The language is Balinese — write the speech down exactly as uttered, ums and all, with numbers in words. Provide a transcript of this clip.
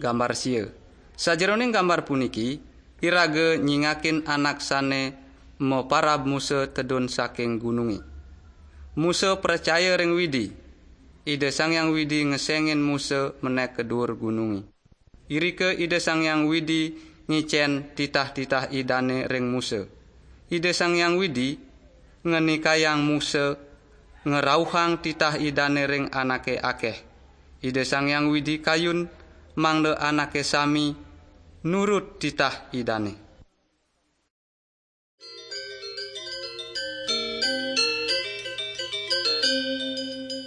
Gambar sia. Sajeroning gambar puniki, iraga nyingakin anak sane maparab Musa tedun saking gununge. Musa pracaya ring Widi. Ida Sang Hyang Widi ngesengin Musa menek ka duur gununge. Irika Ida Sang Hyang Widi ngicen titah-titah Idane ring Musa. Ida Sang Hyang Widi ngenikayang Musa ngerauhang titah Idane ring anake akeh. Ida Sang Hyang Widi kayun mangda anake sami nurut titah Idane.